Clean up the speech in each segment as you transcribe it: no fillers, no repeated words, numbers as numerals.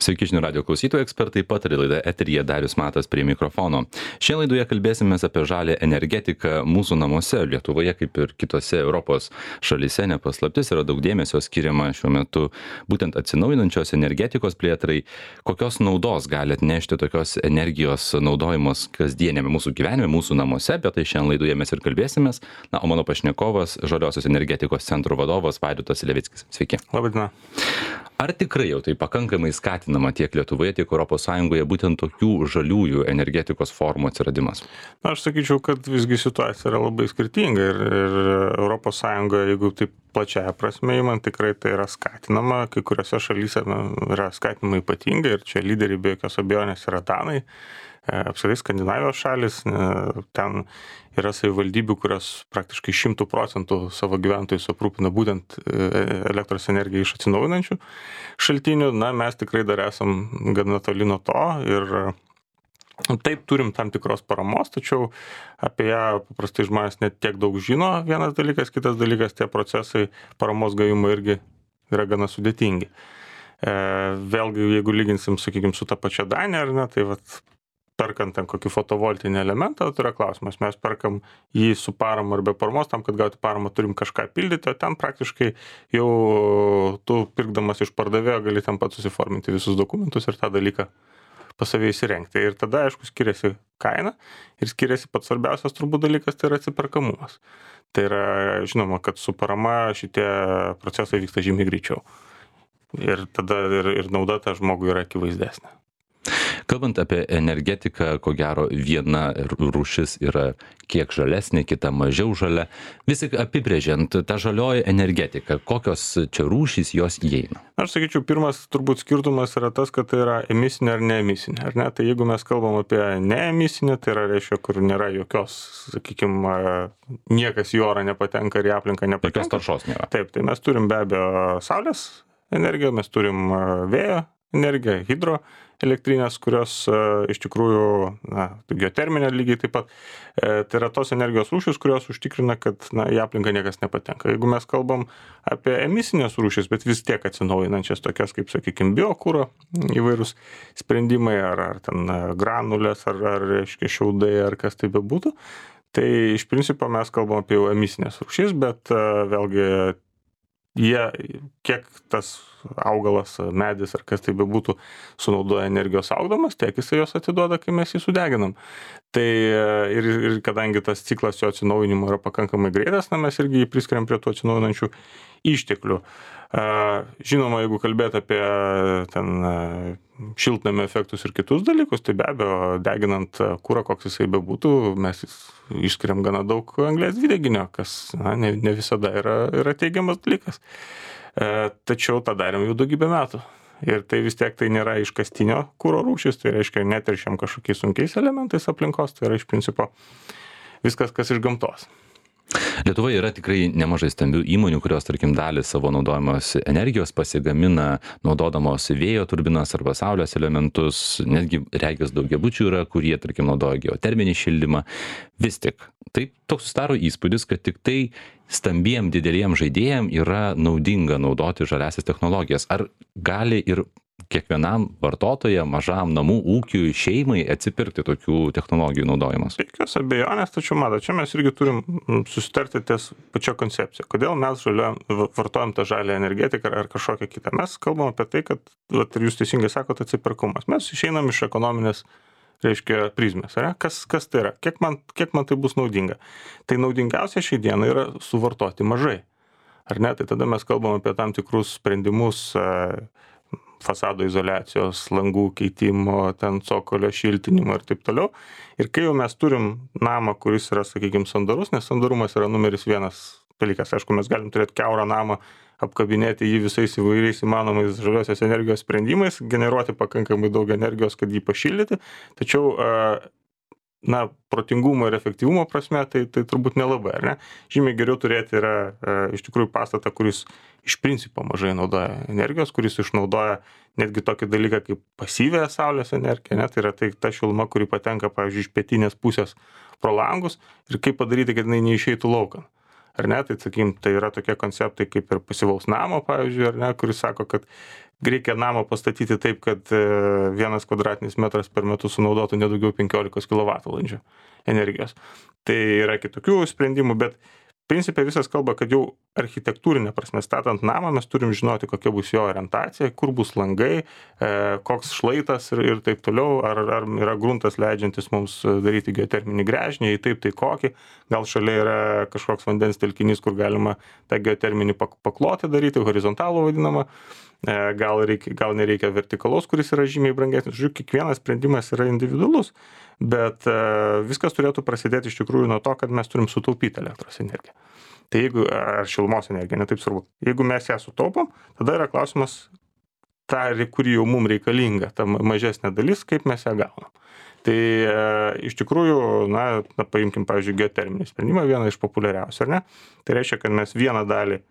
Sveiki žinių radio klausytojai, ekspertai pataria, laida eteryje Darius Matas prie mikrofono. Šiandien laidoje kalbėsimės apie žalę energetiką mūsų namuose. Lietuvoje, kaip ir kitose Europos šalyse, nepaslaptis, yra daug dėmesio skiriama šiuo metu būtent atsinaujinančios energetikos plėtrai. Kokios naudos gali atnešti tokios energijos naudojimas kasdienėme mūsų gyvenime, mūsų namuose, apie tai šiandien laidoje mes ir kalbėsimės. Na, o mano pašnekovas, Žaliosios energetikos centro vadovas Vaidotas Levickis. Sveiki. Labadiena. Ar tikrai jau tai pakankamai skatinama tiek Lietuvoje, tiek ES būtent tokių žaliųjų energetikos formų atsiradimas? Na, aš sakyčiau, kad visgi situacija yra labai skirtinga ir ES, jeigu taip plačiaja prasme įmant, tikrai tai yra skatinama. Kai kuriuose šalyse yra skatinama ypatingai ir čia lyderiai be jokios abejonės yra Danai, apskritai Skandinavijos šalis. Ten yra savivaldybių, kurios praktiškai 100% savo gyventojus aprūpina būtent elektros energiją iš atsinaujinančių šaltinių. Na, mes tikrai dar esam gana toli nuo to ir taip turim tam tikros paramos, tačiau apie ją paprastai žmonės net tiek daug žino, vienas dalykas, kitas dalykas, tie procesai paramos gavimo irgi yra gana sudėtingi. Vėlgi, jeigu lyginsim, sakykime, su ta pačia Danija, ar ne, tai vat perkant ten kokį fotovoltinį elementą, tai yra klausimas, mes perkam jį su parama ar be paramos, tam, kad gauti paramą turim kažką pildyti, o ten praktiškai jau tu pirkdamas iš pardavėjo gali ten pat susiforminti visus dokumentus ir tą dalyką pas save įsirengti. Ir tada, aišku, skiriasi kaina ir skiriasi pats svarbiausias turbūt dalykas, tai yra atsiperkamumas. Tai yra, žinoma, kad su parama šitie procesai vyksta žymiai greičiau. Ir tada ir nauda tą žmogui yra akivaizdesnė. Kalbant apie energetiką, ko gero viena rūšis yra kiek žalesnė, kita mažiau žalia. Vis tik apibrėžiant tą žalioji energetika, kokios čia rūšys jos įeina? Aš sakyčiau, pirmas turbūt skirtumas yra tas, kad tai yra emisinė ar neemisinė. Ar ne? Tai jeigu mes kalbam apie neemisinę, tai yra reiškia, kur nėra jokios, sakykime, niekas į orą nepatenka ir į aplinką nepatenka. Jokios taršos nėra. Taip, tai mes turim be abejo saulės energiją, mes turim vėjo energiją, hidroelektrinės, kurios iš tikrųjų, geoterminė lygiai taip pat, tai yra tos energijos rūšys, kurios užtikrina, kad į aplinką niekas nepatenka. Jeigu mes kalbam apie emisinės rūšys, bet vis tiek atsinaujinančias, tokias kaip, sakykime, biokuro įvairūs sprendimai, ar ten granulės, ar reiškia šiaudai, ar kas tai bebūtų, tai iš principo mes kalbam apie jau emisinės rūšys, bet vėlgi jie, kiek tas augalas, medis ar kas tai bebūtų sunaudoja energijos augdamas, tiek jisai jos atiduoda, kai mes jį sudeginam. Tai ir kadangi tas ciklas jo atsinaujinimo yra pakankamai greitas, mes irgi jį priskiriam prie tų atsinaujinančių išteklių. Žinoma, jeigu kalbėt apie ten šiltnamio efektus ir kitus dalykus, tai be abejo, deginant kurą, koks jisai bebūtų, mes išskiriam gana daug anglies dvideginio, kas ne visada yra teigiamas dalykas. Tačiau tą darėm jau daugybę metų. Ir tai vis tiek tai nėra iškastinio kuro rūšis, tai reiškia neteršiam kažkokiais sunkiais elementais aplinkos, tai yra iš principo viskas, kas iš gamtos. Lietuvoje yra tikrai nemažai stambių įmonių, kurios, tarkim, dalį savo naudojamos energijos pasigamina naudodamos vėjo turbinas arba saulės elementus, netgi regis daugiabučių yra, kurie, tarkim, naudoja geoterminį šildymą. Vis tik, tai toks susidaro įspūdis, kad tik tai stambiem dideliem žaidėjam yra naudinga naudoti žaliąsias technologijas. Ar gali ir kiekvienam vartotojam, mažam namų ūkiui, šeimai atsipirkti tokių technologijų naudojimas? Be jokios abejonės, tačiau matot, čia mes irgi turim susitarti ties pačia koncepcija. Kodėl mes vartojam tą žalią energetiką ar kažkokią kitą? Mes kalbam apie tai, kad, ir jūs teisingai sakot, atsiperkumas. Mes išeinam iš ekonominės, reiškia, prizmės. Kas tai yra? Kiek man tai bus naudinga? Tai naudingiausia šiai dienai yra suvartoti mažai. Ar ne? Tai tada mes kalbam apie tam tikrus sprendimus, fasado izoliacijos, langų keitimo, ten cokolio šiltinimo ir taip toliau. Ir kai jau mes turim namą, kuris yra, sakykime, sandarus, nes sandarumas yra numeris vienas dalykas. Aišku, mes galim turėti kiaurą namą, apkabinėti jį visais įvairiais įmanomais žaliosios energijos sprendimais, generuoti pakankamai daug energijos, kad jį pašildyti. Tačiau, protingumo ir efektyvumo prasme, tai turbūt nelabai, ar ne? Žymiai geriau turėti yra iš tikrųjų pastatą, kuris iš principo mažai naudoja energijos, kuris išnaudoja netgi tokį dalyką kaip pasyvią saulės energiją, ne? Tai yra ta šiluma, kuri patenka, pavyzdžiui, iš pietinės pusės pro langus ir kaip padaryti, kad jinai neišeitų laukan. Ar ne? Tai, sakykim, tai yra tokie konceptai kaip ir pasyvaus namo, pavyzdžiui, ar ne, kuris sako, kad reikia namą pastatyti taip, kad 1 kvadratinis metras per metus sunaudotų nedaugiau 15 kWh energijos. Tai yra kitokių sprendimų, bet principė visas kalba, kad jau architektūrinė prasme statant namą mes turim žinoti, kokia bus jo orientacija, kur bus langai, koks šlaitas ir taip toliau, ar yra gruntas leidžiantis mums daryti geoterminį gręžinį, jei taip, tai kokį, gal šalia yra kažkoks vandens telkinys, kur galima tą geoterminį paklotį daryti, horizontalų vadinamą, gal nereikia vertikalaus, kuris yra žymiai brangesnis. Žiūrėk, kiekvienas sprendimas yra individualus, bet viskas turėtų prasidėti iš tikrųjų nuo to, kad mes turim sutaupyti elektros energiją. Tai jeigu, ar šilumos energija, netaip svarbu. Jeigu mes ją sutaupom, tada yra klausimas, kuri jau mums reikalinga, ta mažesnė dalis, kaip mes ją gaunam. Tai iš tikrųjų, paimkim, pavyzdžiui, geoterminį sprendimą, vieną iš populiariausių, ar ne? Tai reiškia, kad mes vieną dalį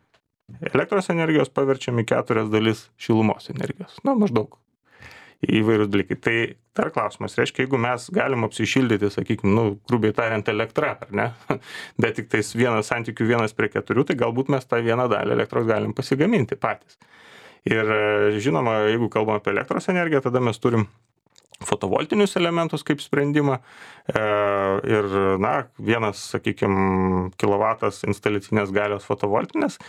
elektros energijos paverčiam į 4 dalis šilumos energijos. Maždaug įvairius dalykai. Tai dar klausimas, reiškia, jeigu mes galim apsišildyti, sakykime, grubiai tariant, elektrą, ar ne, bet tik tais santykių 1:4, tai galbūt mes tą vieną dalį elektros galim pasigaminti patys. Ir žinoma, jeigu kalbam apie elektros energiją, tada mes turim fotovoltinius elementus kaip sprendimą ir, vienas, sakykime, kilovatas instaliacinės galios fotovoltinės,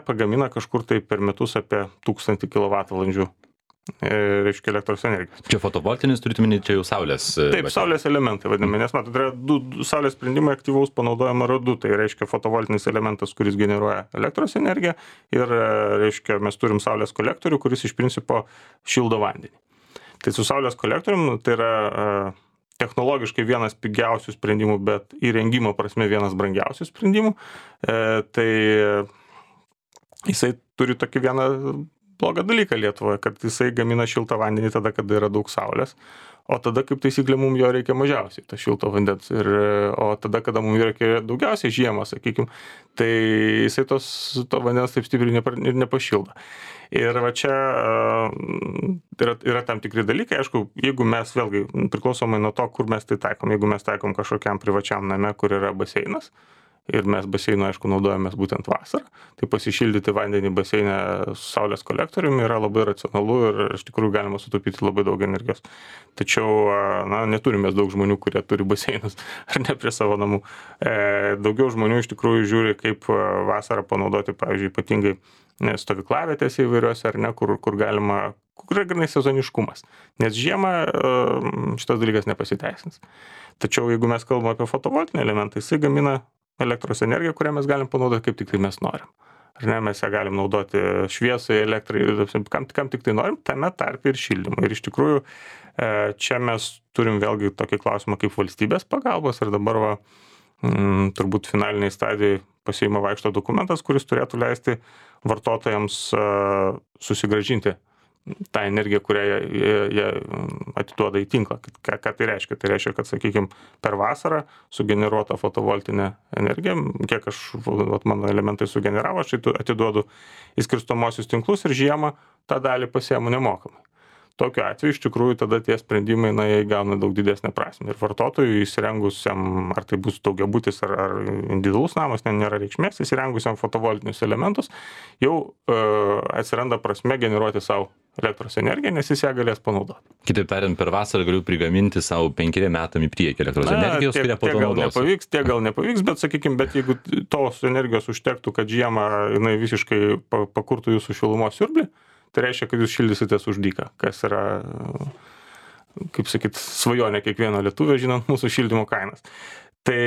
pagamina kažkur tai per metus apie 1000 kWh reiškia elektros energijos. Čia fotovoltinis turite minėti, čia jau saulės. Taip, saulės elementai vadinami, nes matot, yra du saulės sprendimai aktyvaus panaudojimo yra du, tai reiškia fotovoltinis elementas, kuris generuoja elektros energiją ir reiškia mes turim saulės kolektorių, kuris iš principo šildo vandenį. Tai su saulės kolektorium tai yra technologiškai vienas pigiausių sprendimų, bet įrengimo prasme vienas brangiausių sprendimų. Tai jisai turi tokį vieną blogą dalyką Lietuvoje, kad jisai gamina šiltą vandenį tada, kada yra daug saulės, o tada, kaip taisyklė, mums jo reikia mažiausiai, to šilto vandens, o tada, kada mums reikia daugiausiai žiemą, sakykime, tai jisai to vandens taip stipriai ir nepašildo. Ir va čia yra tam tikri dalykai, aišku, jeigu mes vėlgi priklausomai nuo to, kur mes tai taikom, jeigu mes taikom kažkokiam privačiam name, kur yra baseinas, ir mes baseinu, aišku, naudojamės būtent vasarą, tai pasišildyti vandenį baseinę su saulės kolektoriumi yra labai racionalu ir iš tikrųjų galima sutaupyti labai daug energijos. Tačiau, neturime daug žmonių, kurie turi baseinus ar ne prie savo namų. Daugiau žmonių iš tikrųjų žiūri, kaip vasarą panaudoti, pavyzdžiui, ypatingai stovyklavietėse įvairiuose, ar ne, kur galima, kur yra grinai sezoniškumas. Nes žiemą šitas dalykas nepasiteisins. Tačiau, jeigu mes kalbame apie fotovoltinį elementą, jisai gamina elektros energiją, kurią mes galim panaudoti kaip tik tai mes norim. Ar ne, mes ją galim naudoti šviesai, elektrai, kam tik tai norim, tame tarpe ir šildymui. Ir iš tikrųjų, čia mes turim vėlgi tokį klausimą kaip valstybės pagalbos ir dabar turbūt finaliniai stadijai pasiima vaikšto dokumentas, kuris turėtų leisti vartotojams susigrąžinti tą energiją, kurią jie atiduoda į tinklą. Ką tai reiškia? Tai reiškia, kad, sakykime, per vasarą sugeneruota fotovoltinė energija, kiek mano elementai sugeneravo, aš atiduodu į skirstomosius tinklus ir žiemą tą dalį pasiemu nemokamai. Tokiu atveju iš tikrųjų tada tie sprendimai, jie gauna daug didesnę prasmę. Ir vartotojui įsirengusiam, ar tai bus daugiabutis ar individualus namas, nėra reikšmės, įsirengusiam fotovoltinius elementus, jau atsiranda prasme generuoti savo elektros energiją, nes jis ją galės panaudoti. Kitaip tariant, per vasarą galiu prigaminti savo 5 metam į priekį elektros energijos, kurią po to naudosiu. Tiek gal nepavyks, bet sakykime, jeigu tos energijos užtektų, kad žiemą jinai visiškai pakurtų jūsų šilumos siurblį, tai reiškia, kad jūs šildysitės už dyką, kas yra, kaip sakyt, svajonė kiekvieno lietuvio, žinant mūsų šildymo kainas. Tai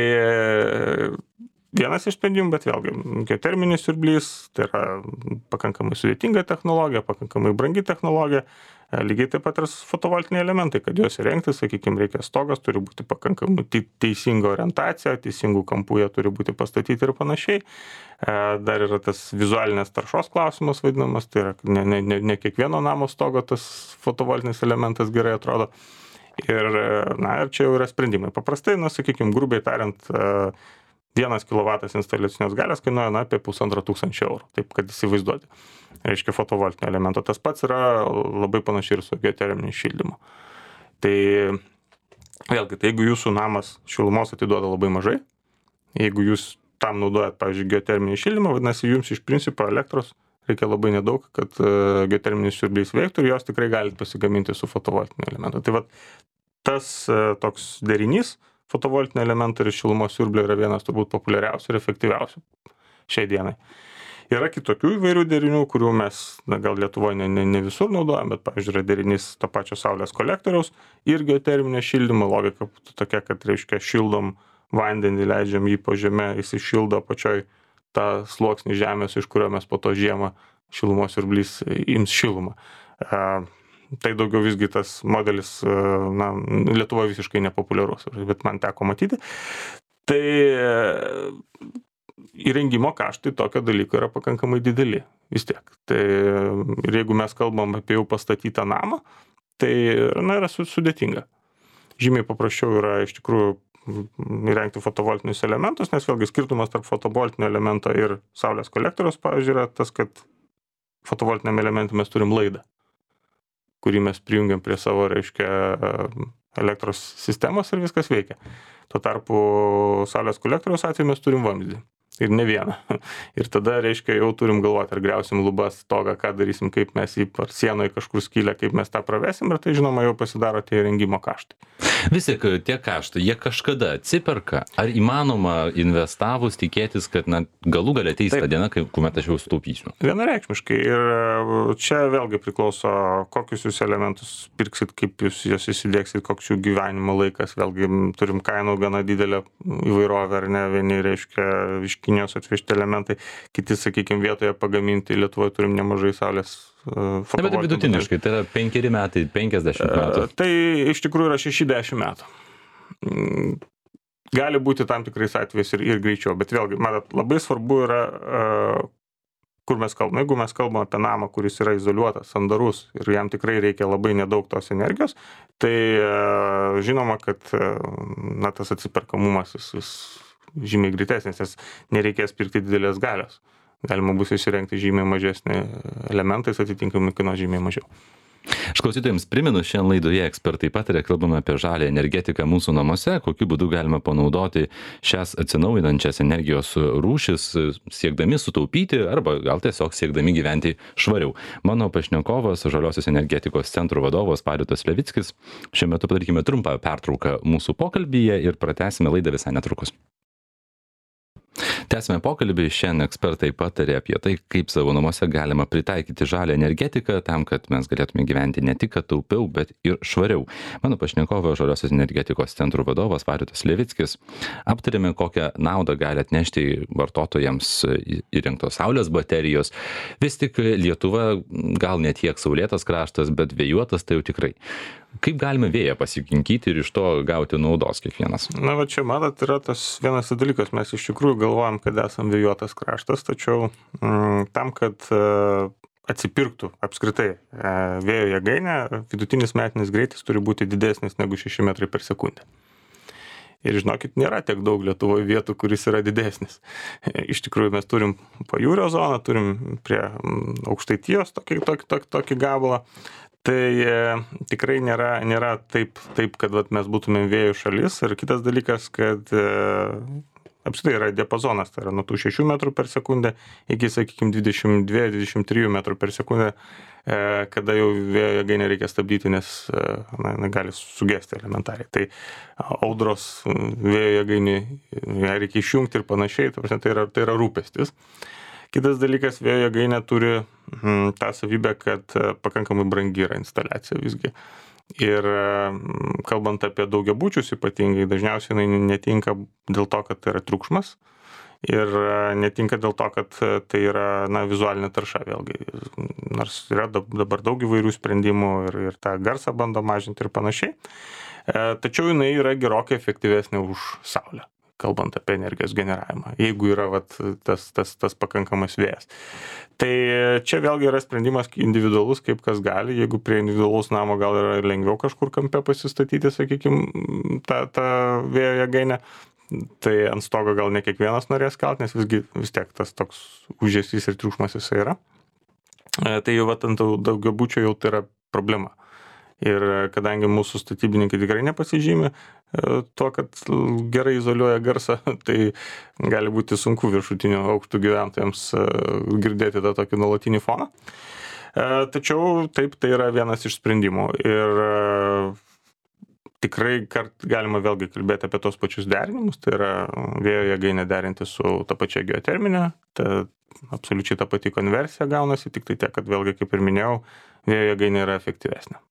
vienas iš sprendimų, bet vėlgi, geoterminis siurblys, tai yra pakankamai sudėtinga technologija, pakankamai brangi technologija, lygiai taip pat ir fotovoltiniai elementai, kad juos įrengti, sakykime, reikia stogas, turi būti pakankamai teisinga orientacija, teisingų kampų jie turi būti pastatyti ir panašiai. Dar yra tas vizualinės taršos klausimas vadinamas, tai yra ne kiekvieno namo stogo tas fotovoltinis elementas gerai atrodo. Ir čia jau yra sprendimai. Paprastai, sakykime, grubiai tariant, 1 kW instaliacinės galios kainuoja apie 1500 eurų, taip kad įsivaizduoti. Reiškia fotovoltinio elemento. Tas pats yra labai panašiai ir su geoterminiu šildymu. Tai vėlgi, jeigu jūsų namas šilumos atiduoda labai mažai, jeigu jūs tam naudojat, pavyzdžiui, geoterminį šildymą, vadinasi, jums iš principo elektros reikia labai nedaug, kad geoterminis siurblys veiktų ir jos tikrai galite pasigaminti su fotovoltiniu elementu. Tai vat tas toks derinys fotovoltinio elemento ir šilumos siurblio yra vienas turbūt populiariausių ir efektyviausių šiai dienai. Yra kitokių įvairių derinių, kurių mes gal Lietuvoje ne visur naudojam, bet, pavyzdžiui, yra derinys to pačio saulės kolektoriaus ir geoterminio šildymo. Logika tokia, kad reiškia šildom vandenį, leidžiam jį po žeme, jis šildo apačioj tą sluoksnį žemės, iš kurio mes po to žiemą šilumos siurblys ims šilumą. Tai daugiau visgi tas modelis Lietuvoje visiškai nepopuliarus, bet man teko matyti. Tai įrengimo kaštai tokio dalyko yra pakankamai dideli vis tiek. Tai ir jeigu mes kalbam apie jau pastatytą namą, tai yra sudėtinga. Žymiai paprasčiau yra iš tikrųjų įrengti fotovoltinius elementus, nes vėlgi skirtumas tarp fotovoltinio elemento ir saulės kolektoriaus, pavyzdžiui, yra tas, kad fotovoltiniam elementui mes turim laidą, kurį mes prijungiam prie savo, reiškia, elektros sistemos ir viskas veikia. Tuo tarpu saulės kolektoriaus atveju mes turim vamzdį. Ir ne vieną. Ir tada, reiškia, jau turim galvoti, ar griausim lubas, stogą, ką darysim, kaip mes jį ar sienoje kažkur skylę, kaip mes tą pravesim, ir tai, žinoma, jau pasidaro tie įrengimo kaštai. Vis tik tie kaštai, jie kažkada atsiperka? Ar įmanoma investavus tikėtis, kad galų galia ateis ta diena, kuomet aš jau sutaupysiu? Vienareikšmiškai. Ir čia vėlgi priklauso, kokius jūs elementus pirksit, kaip jūs juos įsidėksit, koks jų gyvenimo laikas. Vėlgi turim kainų gana didelę įvairovę, ar ne, vieni, reiškia, iš Kinijos atvežti elementai, kiti, sakykime, vietoje pagaminti. Lietuvoje turim nemažai saulės fotovoltaikos. Bet vidutiniškai, tai yra 5 metai, 50 metų. Tai iš tikrųjų yra 60 metų. Gali būti tam tikrais atvejais ir greičiau, bet vėlgi, matot, labai svarbu yra, kur mes kalbame. Jeigu mes kalbame apie namą, kuris yra izoliuotas, sandarus ir jam tikrai reikia labai nedaug tos energijos, tai žinoma, kad tas atsiperkamumas jis žymiai greitesnis, nes nereikės pirkti didelės galios. Galima bus įsirengti žymiai mažesnį elementais, atitinkamai kainuos žymiai mažiau. Aš klausytojams primenu, šiandien laidoje ekspertai pataria, kalbame apie žalią energetiką mūsų namuose, kokiu būdu galima panaudoti šias atsinaujinančias energijos rūšis, siekdami sutaupyti arba gal tiesiog siekdami gyventi švariau. Mano pašnekovas, Žaliosios energetikos centro vadovas Vaidotas Levickis. Šiuo metu padarykime trumpą pertrauką mūsų pokalbyje ir pratęsime laidą visai netrukus. Tęsime pokalbį. Šiandien ekspertai patarė apie tai, kaip savo namuose galima pritaikyti žalią energetiką tam, kad mes galėtume gyventi ne tik taupiau, bet ir švariau. Mano pašnekovas Žaliosios energetikos centro vadovas Vaidotas Levickis. Aptarėme, kokią naudą gali atnešti vartotojams įrengtos saulės baterijos. Vis tik Lietuva gal ne tiek saulėtas kraštas, bet vėjuotas tai jau tikrai. Kaip galime vėją pasikinkyti ir iš to gauti naudos kiekvienas? Na, va čia, matot, yra tas vienas dalykas. Mes iš tikrųjų galvojam, kad esam vėjuotas kraštas, tačiau tam, kad atsipirktų apskritai vėjo jėgainė, vidutinis metinis greitis turi būti didesnis negu 6 metrai per sekundę. Ir žinokit, nėra tiek daug Lietuvoje vietų, kuris yra didesnis. Iš tikrųjų, mes turim pajūrio zoną, turim prie Aukštaitijos tokį gabalą. Tai tikrai nėra taip, kad mes būtumėm vėjų šalis. Ir kitas dalykas, kad apskritai yra diapazonas, tai yra nuo tų 6 metrų per sekundę iki, sakykime, 22-23 metrų per sekundę, kada jau vėjo jėgainę reikia stabdyti, nes gali sugesti elementariai. Tai audros vėjo jėgainį reikia išjungti ir panašiai, tai yra rūpestis. Kitas dalykas, vėjo jėgainė turi tą savybę, kad pakankamai brangi yra instaliacija visgi. Ir kalbant apie daugiabučius ypatingai, dažniausiai jinai netinka dėl to, kad tai yra triukšmas. Ir netinka dėl to, kad tai yra vizualinė tarša vėlgi. Nors yra dabar daug įvairių sprendimų ir tą garsą bando mažinti ir panašiai. Tačiau jinai yra gerokai efektyvesnė už saulę, kalbant apie energijos generavimą, jeigu yra tas pakankamas vėjas. Tai čia vėlgi yra sprendimas individualus, kaip kas gali. Jeigu prie individualaus namo gal yra lengviau kažkur kampe pasistatyti, sakykime, tą vėjo jėgainę, tai ant stogo gal ne kiekvienas norės kelt, nes vis tiek tas toks užėsys ir triukšmas jisai yra. Tai jau ant daugiabučio jau tai yra problema. Ir kadangi mūsų statybininkai tikrai nepasižymi tuo, kad gerai izoliuoja garsą, tai gali būti sunku viršutinių aukštų gyventojams girdėti tą tokį nuolatinį foną. Tačiau taip, tai yra vienas iš sprendimų. Ir tikrai galima vėlgi kalbėti apie tos pačius derinimus, tai yra vėjo jėgainę derinti su ta pačia geoterminė, absoliučiai ta pati konversija gaunasi, tik tai tiek, kad vėlgi, kaip ir minėjau, vėjo jėgainė yra efektyvesnė.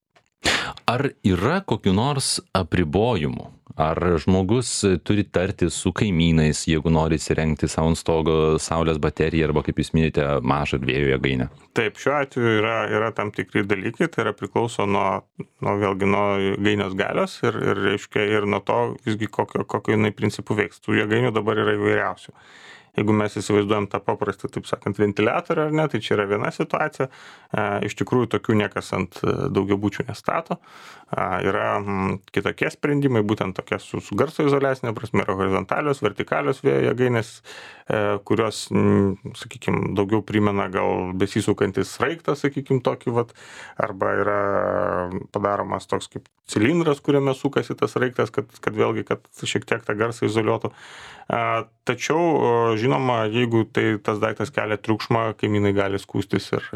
Ar yra kokių nors apribojimų? Ar žmogus turi tartis su kaimynais, jeigu nori įsirengti savo ant stogo saulės bateriją arba, kaip jūs minite, mažą vėjo jėgainę? Taip, šiuo atveju yra tam tikri dalykai, tai yra priklauso nuo jėgainės galios ir reiškia ir nuo to visgi kokio jinai principų veiks. Tų jėgainių dabar yra įvairiausių. Jeigu mes įsivaizduojam tą paprastą, taip sakant, ventiliatorių ar ne, tai čia yra viena situacija. Iš tikrųjų, tokių niekas ant daugiabučių nestato. Yra kitokie sprendimai, būtent tokie su garso izoliacinė prasme, yra horizontalios, vertikalios vėjo jėgainės, kurios, sakykime, daugiau primena gal besisukantis sraigtas, sakykime, tokį vat, arba yra padaromas toks kaip cilindras, kuriame sukasi tas sraigtas, kad vėlgi, kad šiek tiek tą garsą izoliuotų. Tačiau, žinoma, jeigu tas daiktas kelia triukšmą, kaimynai gali skųstis ir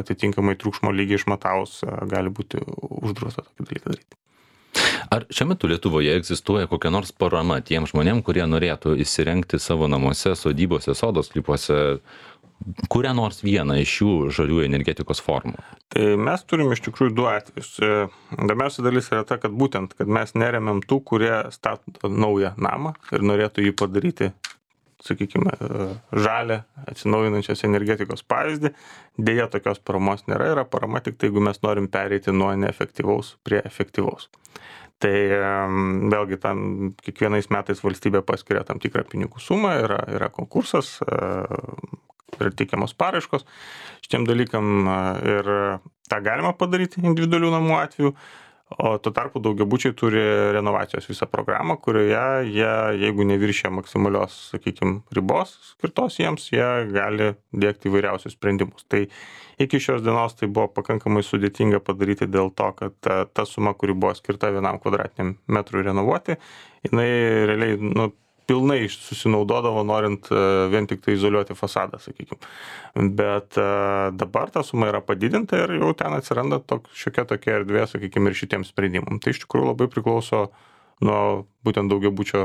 atitinkamai triukšmo lygį išmatavus gali būti uždrausta tokį dalyką daryti. Ar šiuo metu Lietuvoje egzistuoja kokia nors parama tiem žmonėm, kurie norėtų įsirengti savo namuose, sodybose, sodo sklypuose kurią nors vieną iš šių žaliųjų energetikos formų? Tai mes turim iš tikrųjų du atvejus. Įdomiausia dalis yra ta, kad būtent, kad mes neremiam tų, kurie stato naują namą ir norėtų jį padaryti, sakykime, žalią atsinaujinančios energetikos pavyzdį. Deja, tokios paramos nėra, yra parama tik tai, jeigu mes norim pereiti nuo neefektyvaus prie efektyvaus. Tai vėlgi tam kiekvienais metais valstybė paskiria tam tikrą pinigų sumą, yra konkursas ir teikiamos paraiškos šitiem dalykam ir tą galima padaryti individualių namų atveju, o tuo tarpu daugiabučiai turi renovacijos visą programą, kurioje jie, jeigu neviršia maksimalios, sakykime, ribos skirtos jiems, jie gali dėkti įvairiausius sprendimus. Tai iki šios dienos tai buvo pakankamai sudėtinga padaryti dėl to, kad ta suma, kuri buvo skirta 1 kvadratiniam metrui renovuoti, jinai realiai, pilnai susinaudodavo, norint vien tik tai izoliuoti fasadą, sakykime. Bet dabar ta suma yra padidinta ir jau ten atsiranda šiokia tokia erdvė, sakykime, ir šitiems sprendimams. Tai iš tikrųjų labai priklauso nuo būtent daugiabučio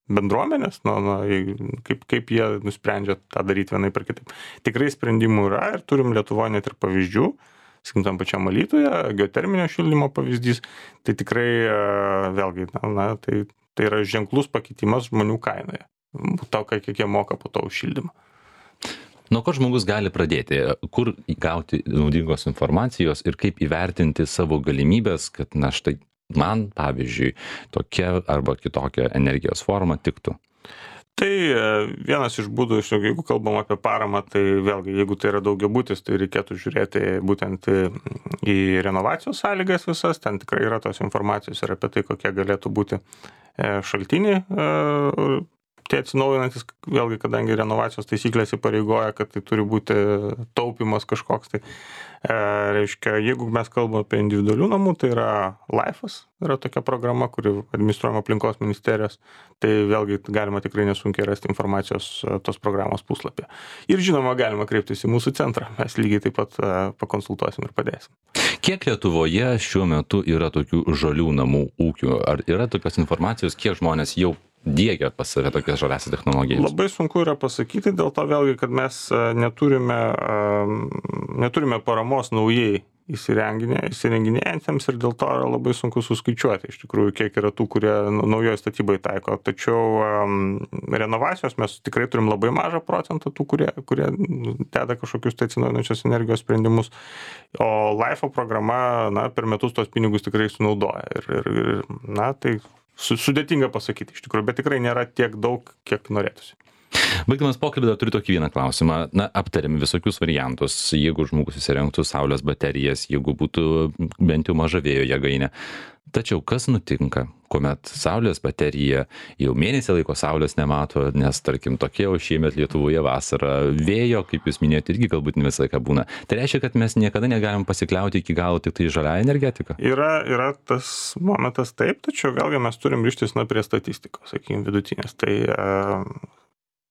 bendruomenės, kaip jie nusprendžia tą daryti vienai per kitaip. Tikrai sprendimų yra ir turim Lietuvoje net ir pavyzdžių, sakykim, tam pačiam Alytuje, geoterminio šildymo pavyzdys, tai tikrai vėlgi, tai yra ženklus pakitimas žmonių kainoje, to, kiek jie moka po to už šildymą. Nuo ko žmogus gali pradėti, kur gauti naudingos informacijos ir kaip įvertinti savo galimybės, kad štai man, pavyzdžiui, tokia arba kitokia energijos forma tiktų? Tai vienas iš būdų, jeigu kalbam apie paramą, tai vėlgi, jeigu tai yra daugiabutis, tai reikėtų žiūrėti būtent į renovacijos sąlygas visas, ten tikrai yra tos informacijos ir apie tai, kokie galėtų būti šaltiniai, tie atsinaujinantis, vėlgi, kadangi renovacijos taisyklės įpareigoja, kad tai turi būti taupimas kažkoks, tai reiškia, jeigu mes kalbame apie individualių namų, tai yra LIFE'as, yra tokia programa, kuri administruojama aplinkos ministerijos, tai vėlgi galima tikrai nesunkiai rasti informacijos tos programos puslapyje. Ir žinoma, galima kreiptis į mūsų centrą, mes lygiai taip pat pakonsultuosim ir padėsim. Kiek Lietuvoje šiuo metu yra tokių žalių namų ūkių? Ar yra tokios informacijos, kiek žmonės jau diegia pas save tokias žaliasias technologijas? Labai sunku yra pasakyti, dėl to vėlgi, kad mes neturime paramos naujai įsirenginėjantiems ir dėl to yra labai sunku suskaičiuoti, iš tikrųjų, kiek yra tų, kurie naujoje statybai taiko. Tačiau renovacijos mes tikrai turim labai mažą procentą tų, kurie deda kažkokius atsinaujinančios energijos sprendimus, o LIFE programa, per metus tos pinigus tikrai sunaudoja. Ir tai sudėtinga pasakyti iš tikrųjų, bet tikrai nėra tiek daug, kiek norėtųsi. Baigdamas pokalbį, dar turiu tokį vieną klausimą. Aptarėm visokius variantus, jeigu žmogus įsirengtų saulės baterijas, jeigu būtų bent jau maža vėjo jėgainė. Tačiau kas nutinka, kuomet saulės baterija jau mėnesį laiko saulės nemato, nes tarkim tokia jau šiemet Lietuvoje vasara, vėjo, kaip jūs minėjote, irgi galbūt ne visą laiką būna. Tai reiškia, kad mes niekada negalim pasikliauti iki galo tik tai žaliąją energetiką. Yra tas momentas taip, tačiau vėlgi mes turim ryžtis prie statistikos, sakykime, vidutinės. Tai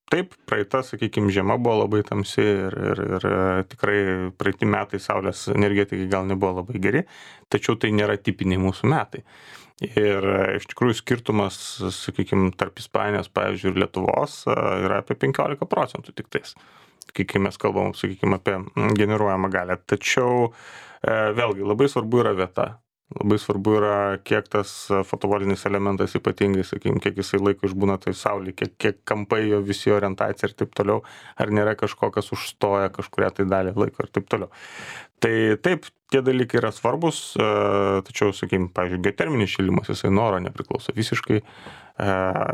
taip, praeita, sakykime, žiema buvo labai tamsi ir tikrai praeiti metai saulės energetikai gal nebuvo labai geri, tačiau tai nėra tipiniai mūsų metai. Ir iš tikrųjų skirtumas, sakykime, tarp Ispanijos, pavyzdžiui, ir Lietuvos yra apie 15% tik tais, kai mes kalbam, sakykime, apie generuojamą galę. Tačiau vėlgi labai svarbu yra vieta. Labai svarbu yra, kiek tas fotovolinis elementas ypatingai, sakykime, kiek jisai laiko išbūna tai saulė, kiek kampai jo visi orientacija ir taip toliau, ar nėra kažko, kas užstoja kažkuria tai dalį laiko ir taip toliau. Tai taip, tie dalykai yra svarbus, tačiau, sakykime, pavyzdžiui, geoterminis šildymas, jisai nuo oro nepriklauso visiškai,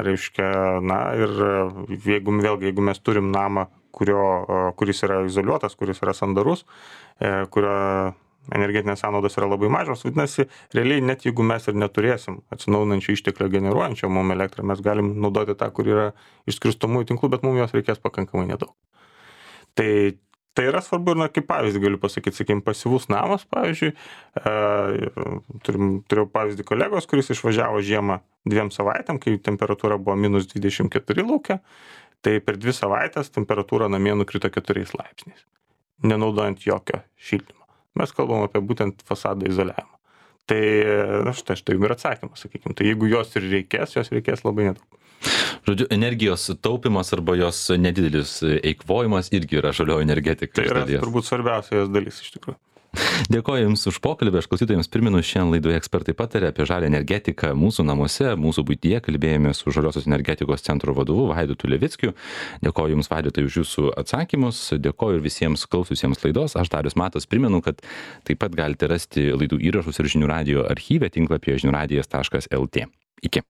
reiškia, na ir jeigu mes turim namą, kuris yra izoliuotas, kuris yra sandarus, kurio energetinės sąnaudos yra labai mažos, vadinasi, realiai net jeigu mes ir neturėsim atsinaujinančių išteklių generuojančio mum elektrą, mes galim naudoti tą, kur yra iš skirstomųjų tinklų, bet mums jos reikės pakankamai nedaug. Tai yra svarbu ir, kaip pavyzdį galiu pasakyti, sakykime, pasyvus namas, pavyzdžiui, turėjau pavyzdį kolegos, kuris išvažiavo žiemą 2 savaitėm, kai temperatūra buvo -24 lauke, tai per 2 savaitės temperatūra namie nukrito 4 laipsniais, nenaudojant jokio šildymo. Mes kalbam apie būtent fasado izoliavimą. Tai, štai ir atsakymas, sakykime. Tai jeigu jos reikės labai nedaug. Žodžiu, energijos taupimas arba jos nedidelis eikvojimas irgi yra žalioji energetika. Tai yra turbūt svarbiausia jos dalis iš tikrųjų. Dėkoju Jums už pokalbį, aš klausytojams priminu, šiandien laidoje ekspertai patarė apie žalią energetiką mūsų namuose, mūsų buityje, kalbėjome su Žaliosios energetikos centro vadovu Vaidotu Levickiu. Dėkoju Jums, Vaidotai, už Jūsų atsakymus, dėkoju ir visiems klausiusiems laidos. Aš Darius Matas primenu, kad taip pat galite rasti laidų įrašus ir žinių radijo archyve tinklapyje žiniųradijas.lt. Iki.